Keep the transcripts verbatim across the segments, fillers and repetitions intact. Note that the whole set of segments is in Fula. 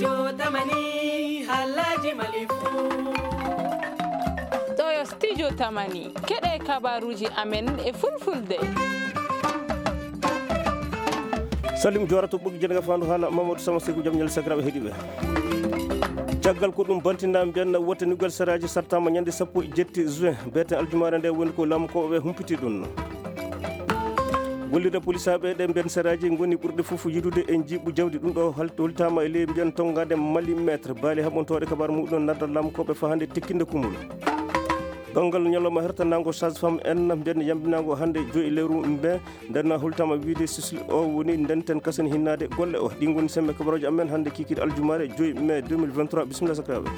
Jotamani, halaji malifu. Ɗo yo Studio Tamani, keɗe kabaruji amen e fulfulde. Salim Jora to ɓoggi jenga fandu hala Mamadou Sama Seku jam ñal sagraɓe heɗiɓe. Caggal ko ɗum bantinda mbiyan wote nugal saraji sartama ñande sappo e jetti juin, beten aljumare nde woni ko laamu ko ɓe humpiti ɗum. Gollirde polisaɓe ɗe mbiyan saraji ngoni ɓurɗe fof yiɗude e jiiɓu jawdi. Ɗum ɗo hal-, holtama e ley mbiyan tongade Mali maître. Baali haɓontoɗe kabar muɗum nadda laamu ko ɓe fahande tekkinde kumol. Banngal ñalawma hertanango sage-femme en mbiyan yambinango hande joyi lewru mbe. Nden holtama wiide sisli o woni ndenten kasen hinnade golle o. Ɗi ngoni sembe kabaruji amen hande kikiɗe aljumare joyi mai deux mille vingt-trois. Bisimilla sakiraɓe.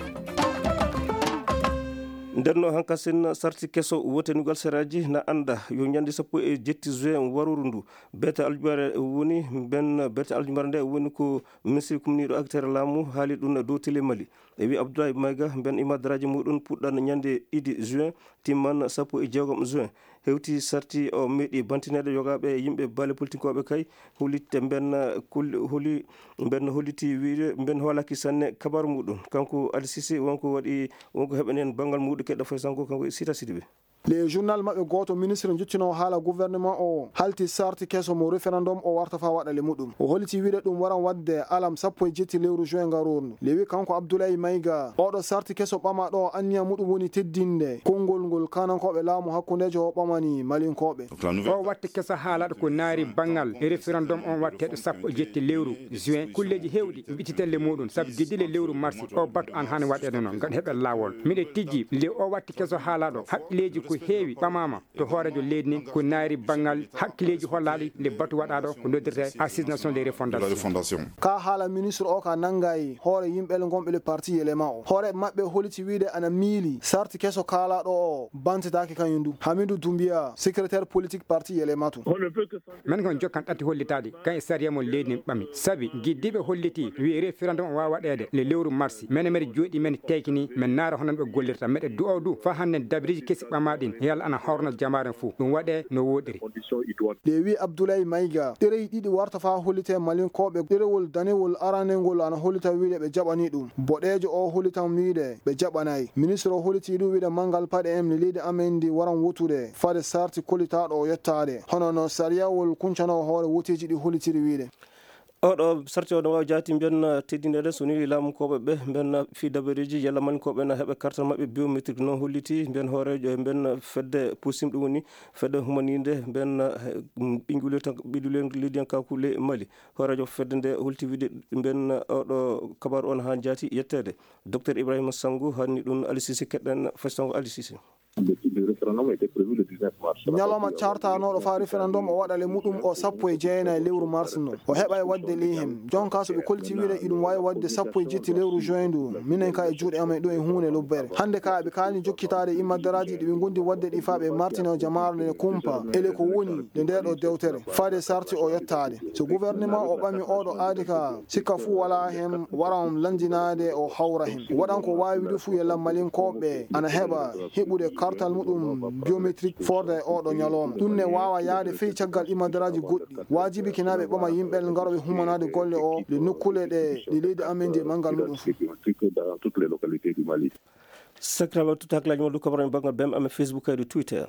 Nden no hankasen sarti keso wote nugal seraji na anda yo ñande sappo e jetti juin waruru ndu. Bete aljumare woni ben, bete aljumare nde woni ko ministre kumniɗo acteur laamu haali ɗum dow télé Mali. E wi Abdoulaye Maïga, ben imadraji muɗum puɗɗan ñande ɗiɗi juin, timman sappo e jeegom juin. Hewti sarti o meeɗi bantineede yogaaɓe e yimɓe baale politikoɓe kay, holitte mben, kul-, holi, mben holliti wiide mben hoolaki sanne kabaru muɗum. Kanko Ali Cissé wonko waɗi, wonko heɓanen banngal muɗum keɗɗo fay sanko kanko e Sita Sidibé. Le journal maɓɓe gooto, ministre jottino haala gouvernement o halti sarti keso mo référendum o warta fa waɗale muɗum. O holliti wiide ɗum waran waɗde alam sappo e jetti lewru juin ngarorndu. Le wi kanko Abdoulaye Maïga, oɗo sarti keso ɓama ɗo anniya muɗum woni teddinde konngol ngol kanankoɓe laamu hakkundejo o ɓamani Malinkoɓe. O watti keso haalaɗo ko naari banngal e référendum on watteɗo sappo e jetti lewru juin. Kulleji hewɗi mbititelle muɗum sabu giddile lewru marsi o batu an hani waɗede noon ngam heɓen laawol. Miɗe tijji le o watti keso haalaɗo haqqileji ko heewi ɓamama to hoorejo leydi ndin ko naari banngal hakkileji hollaɗi nde batu waɗaɗo ko noddirte Assise Nationale de Refondation. Ka haala ministre o ka nangayi hoore yimɓe gonɓe le parti Yelema o. Hoore maɓɓe holiti wiide ana miili sarti keso kaalaɗo o bantitaki kañum du. Hamidou Doumbia, secrétaire politique parti Yelema tun. Men kon jokkan ɗatti hollitaɗi kan e sariya mon leydi ndin ɓami. Sabi giddiɓe holliti wi référendum o wawa waɗede le lewru marsi. Mene meɗe jooɗi men tekini men naara hono ɓe gollirta meɗe du'o du fa hande dabriji kesi ɓama ɗin yalla ana horna jamaaren fuu. Ɗum waɗe no woɗiri. Ɗe wi Abdoulaye Maïga, ɗerey ɗiɗi warta fa hollite Malinkoɓe. Ɗerewol danewol aranengol ana hollita wiide ɓe jaɓani ɗum. Boɗeejo o hollitan wiide ɓe jaɓanayi. Ministre o holliti ɗum wiide manngal paɗe en no leydi amen ndi waran wotude fade sarti kollitaɗo o yettade. Hono no sariyawol kuncano hoore woteji ɗi hollitiri wiide. Oɗo sarti o no wawi jaati mbiyan teddinede so ni laamu koɓe ɓe mbiyan fi dabareji yalla Malinkoɓe na heɓa kartal maɓɓe biométrique no holliti mbiyan hoorejo e mbiyan fedde pusim ɗum woni fedde humaninde mbiyan ɓiƴƴule tan ɓiɗule leydiyankaku le Mali. Hoorejo fedde nde holti wiide mbiyan oɗo kabaru on ha jaati yettede. Docteur Ibrahima Sango hanni ɗum Ali Cissé keɗɗen fay Sango Ali Cissé. Ñalawma cartanooɗo faa référendum o waɗale muɗum o sappo e jeenayi lewru mars no. O heɓa e waɗde ley heen. Jonka so ɓe kolti wiide iɗum waawi waɗde sappo e jetti lewru juin ndu, minen ka e juuɗe amen ɗo e huunde lobbere. Hannde ka ɓe kaani jokkitaade immaddaraaji ɗi ɓe ngondi waɗde ɗi faa ɓe martina jamaare nde kumpa. Ele ko woni nde ndee ɗo dewtere. Faade sarti o yettaade. So gouvernement o ɓami oɗo aadi ka sikka fuu walaa heen, wara on lanndinaade o hawra heen. Waɗan ko waawi du fuu yalla Malinkooɓe ana heɓa heɓude kartal muɗum biométrique forde e oɗo ñalawma. Ɗum ne waawa yahde fey caggal imadaraaji goɗɗi. Waajibi kinaaɓe ɓama yimɓe ngaro ɓe humanaade golle o le nokkule ɗe ɗi leydi amen ndi e manngal muɗum fuu. Sakiraaɓe, totta hakkilaaji mon dow kabaru e banngal B M amen Facebook kaydi Twitter.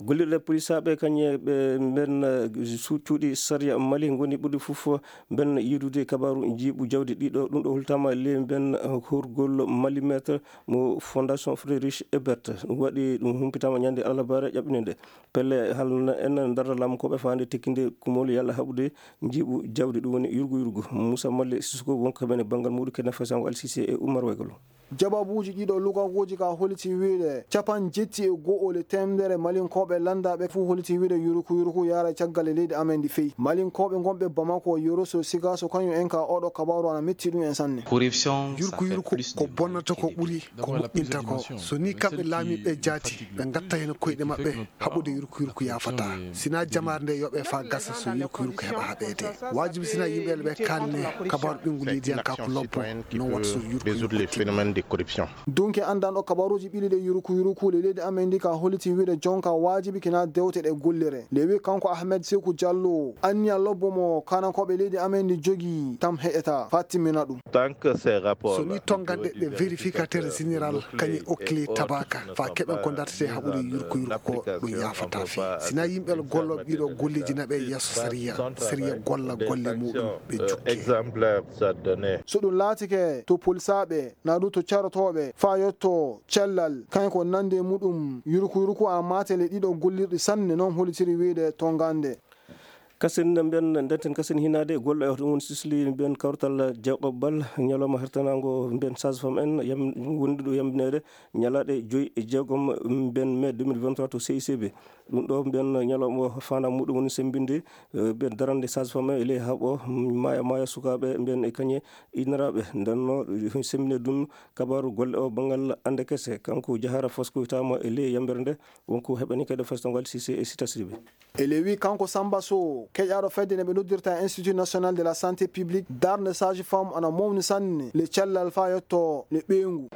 Gollirɗe polisaaɓe kañe ɓe mben, eh, su-, cuuɗi sariya Mali ngoni ɓurɗi fof mben yiidude kabaru jiiɓu jawdi ɗiɗo. Ɗum ɗo hultama le mben, eh, horgol Mali Maître mo Fondation Friedrich Ebert. Ɗum waɗi ɗum humpitama ñande alarbaare ƴaɓɓinde nde. Pelle halna en darda lamkooɓe faande tekkinde kumol yalla haɓude jiiɓu jawdi, ɗum woni yurgu yurgu. Moussa Malle Sissoko wonko heɓen e banngal muɗum kene fesango Al Sisi e Oumar Waygolo. Jababuuji ɗiɗo lugaguuji ka holiti wiide capan jetti e go'o le temdere Malinkooɓe landaaɓe fuu holiti wiide yuruku yuruku yaara caggal e leydi amen ndi feyi. Malinkooɓe gonɓe Bamako, Yoroso, Sigaso kañum en ka oɗo kabaru ana metti ɗum en sanne. Yurku yurku ko bonnata ko ɓuri ko moƴƴinta ko. So ni kamɓe laamiiɓe jaati ɓe ngatta heen koyɗe maɓɓe haɓude yurku yurku yaafata. Sina jamaare nde yoɓe faa gasa so yurku yurku heɓa haɓeede. Waajibi sina yimɓe ɓe kalne kabaru ɓinngu leydiyankaaku lobbo non wata so yurku yurku tinno. Corruption. Dunke anndanɗo kabaruuji ɓili ɗe yuruku yuruku le leydi amen ndi ka holliti wiide jonka waajibi kina dewte ɗe gollire. Nde wi kanko Ahmed Seku Diallo, anniya lobbo mo kanankooɓe leydi amen ndi jogi tam heƴata faa timmina ɗum. Tant que ces rapports So ni tongande ɗe vérificateur général kañe okkili tabaka fa keɓen ko dartete haɓude yurko yurko ko ɗum yafata fe. Sina yimɓe gollooɓe ɗiɗo golleeji naɓe yeeso sariya, sariya golla golle muɗum ɓe jukke. Exemplaire ça donné. So ɗum laatike to polisaaɓe na du to carotooɓe fa yotto cellal, kañum ko nande muɗum yurku yurku a maatele ɗiɗo gollirɗi sanne, noon holitiri wiide tongande. Kasen mbiyen ndenten kasen hinaade golle o ɗum woni sisli mbiyen kawtal jawɓaɓɓal ñalawma hertanaango mbiyen sage-femme en yam wonduɗo yambineede ñalaaɗe joyi e jeegom mbiyen mai deux mille vingt-trois to C I C B. Ɗum ɗo mbiyen ñalawma o fana muɗum woni sembinde, eh, mbiyen darande sage-femme e ley haɓo, mm, maya maya sukaaɓe mbiyen e kañe inniraaɓe. Nden no sembinde ɗum kabaru golle o banngal ande kese. Kanko Jahara Fasko witama e ley yambere nde wonko heɓani kadi festowal C I C e Sita Sidibé. E ley wi kanko Samba Sow, keƴaaɗo fedde nde ɓe noddirta Institut National de la Santé Publique, darnde sage-femme ana mawni sanne le cellal faa yetto le ɓeyngu.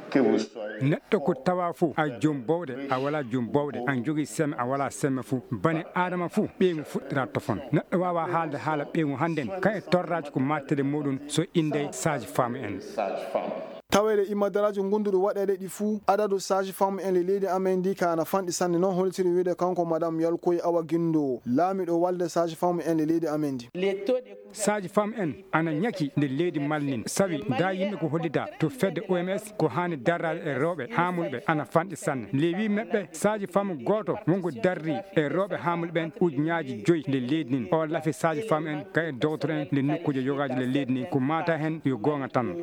Neɗɗo ko tawa fof, a joom bowɗe, a wala joom bowɗe, a jogii semme, a wala semme fof. Bani Adama fof, ɓeyngu fuɗɗira tofon. Neɗɗo waawa haalde haala ɓeyngu hannden, kan e torraaji ko mattede muɗum so innde sage-femme en. Taweede immadaraaji ngonduɗi waɗeede ɗi fuu, adadu sage-femme en le leydi amen ndi ka ana fanɗi sanne, noon holitiri wiide kanko Madame Yalkoy Awa Gindo, laamiɗo walde sage-femme en le leydi amen ndi. Sage-femme en ana ñaki nde leydi Mali nin, sawi nda yimɓe ko hollida to fedde O M S ko haani darraade e rewɓe haamulɓe ana fanɗi sanne. Ley wi maɓɓe sage-femme gooto wonko darri e rewɓe haamulɓe ɓen ujunnaaji joyi nde leydi nin. O lafi sage-femme en ka e docteur en nde nokkuuje yogaaji nde leydi nin ko maata hen yo goonga tan.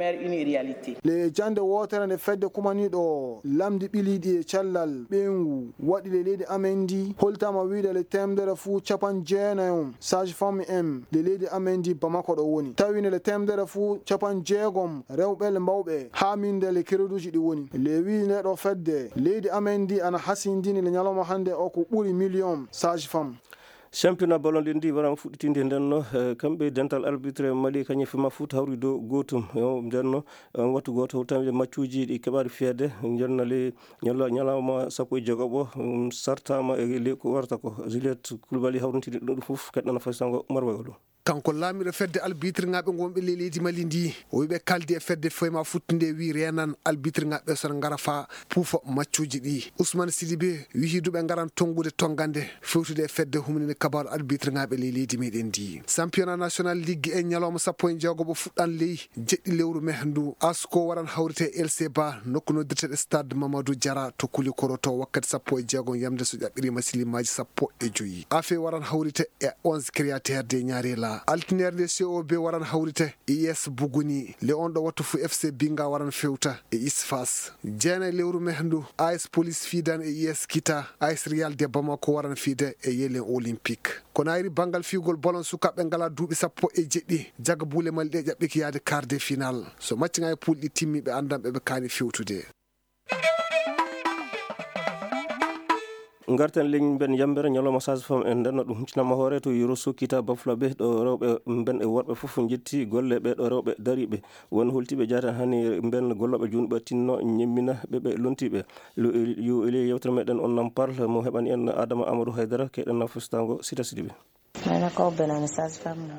Le jannde wootere nde fedde kumaniiɗo lamndi ɓiliiɗi e cellal ɓeyngu waɗi le leydi amen ndi holtaama wiide le teemedere fuu capan jeenayon sage-femme en le leydi amen ndi Bamako ɗo woni. Tawi ne le teemedere fuu capan jeegom rewɓe le mbawɓe haaminde le kereduuji ɗi woni. Le wi nde ɗo fedde leydi amen ndi ana hasindini le ñalawma hannde o ko ɓuri miliyon sage-femme. Championnat ballon ɗin ndi waran fuɗɗitinde nden no, eh, kamɓe dental arbitre Mali kañum fima fuut hawri dow gootum. Yo, nden no, eh, wattu gooto tawi maccuuji ɗi keɓaɗi fiyede, nden no le ñala-, ñalawma sappo e jeegoɓo, um, sartama e le ko warata ko. Juliette Koulibaly hawrintini ɗum ɗum fof, keɗɗana faysango marwayolo. Kanko laamiɗo fedde albitrŋaaɓe ngonɓe ley leydi Mali ndi, o wiɓe kaldi e fedde foyma futtinde wi renan albitrŋaaɓe sona ngara fa puufa maccuuji ɗi. Ousmane Sidibé wihi duɓe ngaran tongude tongande fewtude e fedde humninde kabaru albitrŋaaɓe ley leydi meɗen ndi. Championnat national ligue en ñalawma sappo e jeegoɓo fuɗɗan ley jeɗɗi lewru mai ndu. Asko waran hawrite e L C ba nokku noddirteɗo stade Mamadou Diarra to Koulikoro to wakkati sappo e jeegom yamde so ƴaɓɓirima silimaaji sappo e joyi. Afe waran hawrite e onze créateur de Ñarela. Altinere nde C O B waran hawrite e I S Buguni. Le on ɗo wattu fu F C Binga waran fewta e Isfas. Jeena e lewru mai ndu A S Police Fidan e I S Kita, A S Real de Bamako waran fiide e Yelen Olympique. Ko naayiri banngal fiyugol bolon sukaaɓe ngala duuɓi sappo e jeɗɗi, jaga buule Mali ɗe ƴaɓɓiki yaade quart de finale. So maccinga e poule ɗi timmi ɓe anndan ɓe ɓe kaani fewtude. Ngarten leñi mben yambere ñalawma sage-femme en ndenno ɗum huccinama hoore to Yoro Sokita Bafulabe ɗo rewɓe mben e worɓe fof njetti golle ɓe ɗo rewɓe dariɓe won holtiɓe jaatan hani mben golloɓe junɓe tinno ñemmina ɓe ɓe lontiɓe. Yo ele yewtere meɗen on nam parle mo heɓani en Adama Amadou Haydara keɗen na fustango Sita Sidibe. Mene ko benani sage-femme na.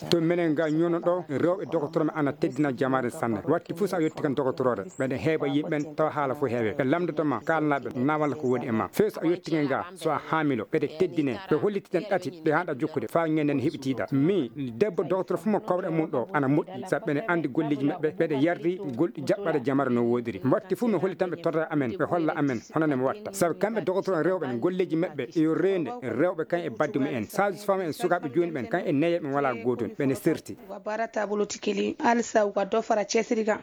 To menen ga ñono ɗo rewɓe dokotoro men ana teddina jamaare sanne. Watti fuu so a yetti kan dokotoroore ɓeɗe heeɓa yimɓen tawa haala fof heewe ɓe lamdoto ma kalnaɓe nawalla ko woni e ma few so a yetti nge ga so a haamilo ɓeɗe teddine ɓe hollitiɗen ɗati ɗe haɗa jokkude faa ngenden heɓitiɗa mi debbo dokotoro fuu mo kawɗe mum ɗo ana moƴƴi sabu ɓeɗe andi golleji maɓɓe ɓeɗe yardi gol jaɓɓade jamaare no woodiri watti fuu mi hollitanɓe torra amen ɓe holla amen hono ne mi watta sabu kamɓe dokotoro rewɓe golleji maɓɓe yo reende rewɓe kan e badde mumen sage-femme en sukaaɓe jooni ɓen kan e neyeɓe wala gootun ɓene serti. Wa bara tabulu tikili alisa wa dofara cesiri kan.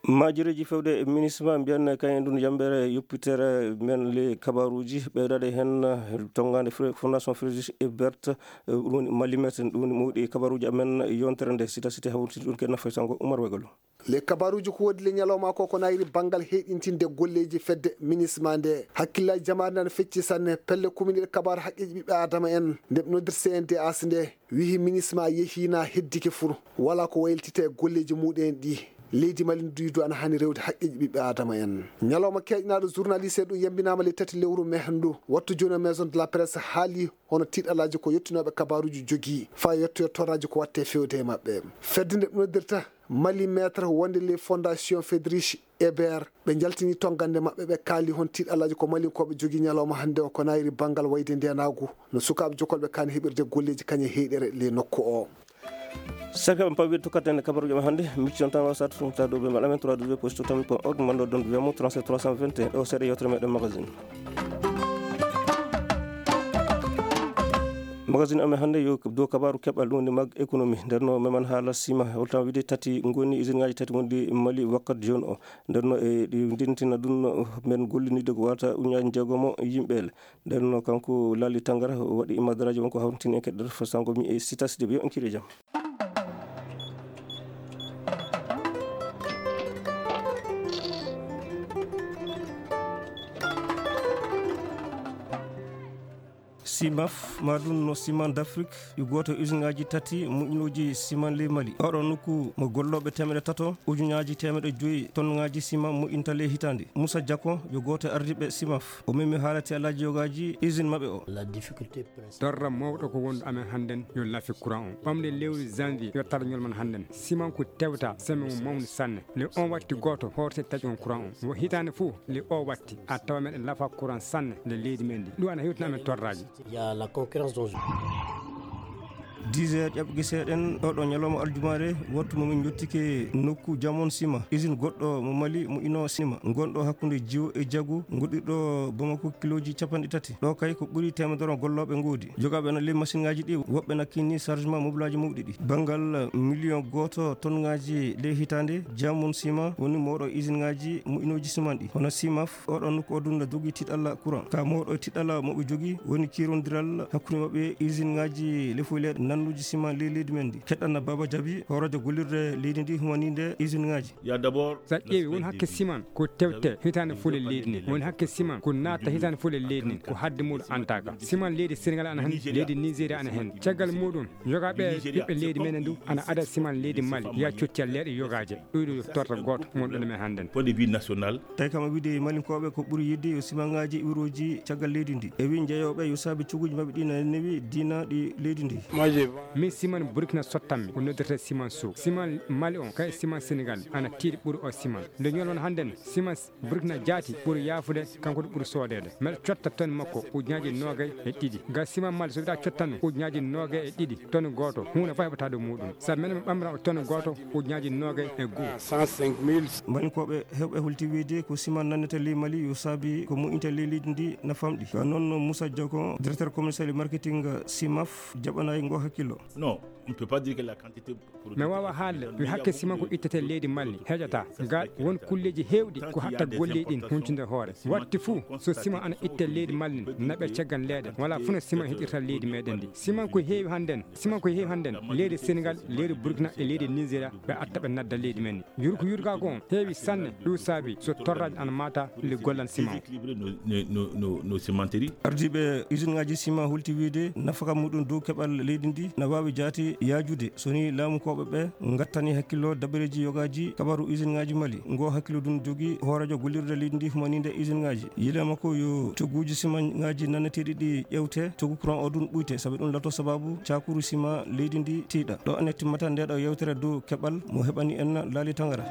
Maajireeji fewde e minisma mbiyan kayen ɗum yambeere yoppitere men le kabaruuji ɓeydaade heen, eh, tonngaande Fre-, Fondation Frédéric Ebert, eh, ɗum woni Malimet, ɗum woni mawɗi kabaruuji amen yontere nde sita site hawriti ɗum ke nafa sango Umar Wegalo. Le kabaruuji ko woodi le ñalawma ko ko nayri banngal heyɗintinde golleeji fedde minisma nde. Hakkillaaji jamaare nan fecci sanne pelle kuminir kabaru haqqeeji ɓiɓɓe Adama en nde ɓe noddir C N D H nde. Wihi minisma yehiina heddike fur, wala ko waylitita e golleeji muɗen ɗi. Leydi Mali duydu ana hani rewde haqqeeji ɓiɓɓe Adama en. Ñalawma keƴnaaɗo journaliste ɗum yambinaama le tati lewru me hanndu. Wattu jooni o Maison de la Presse haali hono tiiɗalaaji ko yettinooɓe kabaruuji jogii. Faa yettoyo torraaji ko watte fewde e maɓɓe. Fedde nde ɗum noddirta Mali Maître wonde le Fondation Fedrich Eber, ɓe njaltini tonngande maɓɓe, ɓe kaali hon tiiɗalaaji ko Malinkooɓe jogii ñalawma hannde o, ko nayri banngal wayde ndeenaagu, no sukaaɓe jokolɓe kaani heɓirde golleeji kañe heyɗere le nokku o. Sakiraaɓe, pawii tokkaten e kabaruuji amen hannde, micci on tan wasata tun ta dow ɓe mbaɗa men trois W post tamit point org, mbaɗa ɗon W M O trente-sept trois cent vingt et un, ɗo seeɗa yewtere meɗen magazine. Magazine amen hannde yo dow kabaru keɓal ɗum woni mag économie. Nder no meman haala sima, holtan wiide tati ngoni, usine ngaji tati wonɗi Mali wakkat jooni o. Nder no e ɗi ndintina ɗum men gollinide ko wata uñaji jeegomo yimɓeele. Nder no kanko Lali Tangara o waɗi imadaraji wonko hawtini en keɗɗere fasango mi e sita sidi ɓe on kiri jam. Simaf, ma ɗum no Ciment d'Afrique, yo gooto e usine ngaji tati moƴƴinooji ciment ley Mali. Oɗo nokku mo gollooɓe teemeɗe tato, ujunnaaji teemeɗe joyi tonŋaaji ciment moƴƴinta ley hitaande. Moussa Diako, yo gooto e ardiiɓe Simaf. O memi haala tiiɗalaaji yogaaji usine maɓɓe o. Torra mawɗo ko wondu amen hannden yo lafi courant o. Ɓamde lewru janvier yo tara ñol man hannden. Ciment ko tewta semaine mum mawni sanne. Le on watti gooto horte taƴon courant o. Wo hitaande fof le o watti a tawa meɗen lafa courant sanne le leydi men ndi. Ɗum ana hewtina amen torraaji. Il y a la concurrence dont je Dix heures ƴaɓɓi seeɗen, oɗo ñalawma aljumaare, wattu mo min jottike nokku Jamon Sima, usine goɗɗo mo Mali, mo ino Sima, gonɗo hakkunde Jiwo e Jagu, goɗɗirɗo Bamako kilooji capanɗe tati. Ɗo kay ko ɓuri teemedere gollooɓe ngoodi. Jogaaɓe na ley masiŋaaji ɗi, woɓɓe na kinni chargement mobilaaji mawɗi ɗi. Banngal miliyon gooto tonŋaaji ley hitaande, Jamon Sima woni mawɗo usine ŋaaji moƴƴinooji siman ɗi, hono Simaf. Oɗo nokku o dunna dogi tiɗalla courant. Ka mawɗo tiɗalla mo ɓe jogi woni kirondiral hakkunde maɓɓe e usine ŋaaji lefoyleeɗe nannuji siman ley leydi men ndi. Keɗɗanna Baba Jabi, hooreejo gollirde leydi ndi humaninde usine ŋaaji. Il y a d'abord Sa ƴeewi, won hakke siman ko tewte hitaande fof le leydi ndi. Woni hakke siman ko naata hitaande fof le leydi ndi. Ko hadde muɗum antaka. Siman leydi Senegal ana hen, leydi Nigeria ana hen. Caggal muɗum, yogaaɓe ɓiɓɓe leydi men ndu ana ada siman leydi Mali, ya coccal leeɗe yogaaje. Ɗuyɗo yo torta gooto wonɗo men hannden. Point de vue national. Tawi kam o wiide Malinkooɓe ko ɓuri yiɗde yo simaŋaaji iwrooji caggal leydi ndi. E wi jeyooɓe yo saabi cuguuji maɓɓe ɗi na newi diina ɗi leydi ndi. Min siman Burkina sottanmi, o noddirta siman Sow. Siman Mali on, kay siman Senegal, ana tiiɗi ɓuri o siman. Nde ñolon hannden, siman Burkina jaati ɓuri yaafude, kanko ɗo ɓuri soodeede. Mbeɗa cotta ton makko ujunnaaji noogay e ɗiɗi. Ga siman Mali so wiɗa cotta ɗum ujunnaaji noogay e ɗiɗi, ton gooto, huunde fof heɓata ɗo muɗum. Sabu menen mi ɓamra o ton gooto ujunnaaji noogay e goo. Malinkooɓe heewɓe holti wiide ko siman nannete ley Mali yo saabi ko moƴƴinta ley leydi ndi na famɗi. Ka noon Moussa Diaw ko directeur commercial et marketing Simaf jaɓanaay ngo hakkillo. Non, on ne peut pas dire que la quantité Mi waawa haalde mi hakke siman ko ittete leydi Mali heƴata. Ga won kulleeji heewɗi ko hatta golleeji ɗin huncunde hoore. Watti fuu so siman ana itte leydi Mali naɓe caggal leeɗe. Wala fuu no siman heɗirta leydi meɗen ndi. Siman ko heewi hannden, siman ko heewi hannden leydi Senegal, leydi Burkina e leydi Nigeria ɓe atta ɓe nadda leydi men ndi. Yurko yurgaago on heewi sanne, ɗum saabi so torraaji ana maata le gollan siman o. Déséquilibrer nos, nos, nos, nos, nos cimenteries. Ardiiɓe usine ŋaaji siman holti wiide nafaka muɗum dow keɓal leydi ndi na waawi jaati yaajude so ni laamukooɓe ɓe ngattani hakkillo dabareeji yogaaji kabaru usine ŋaaji Mali. Ngo hakkillo ɗum jogi hooreejo gollirde leydi ndi humaninde usine ŋaaji. Yileema ko yo cogguuji siman ŋaaji nanneteeɗi ɗi ƴewte, coggu courant o ɗum ɓuyte, sabi ɗum lato sababu cakuru siman leydi ndi tiiɗa. Ɗo ene timmata nde ɗo yewtere dow keɓal mo heɓani en Laali Tangara.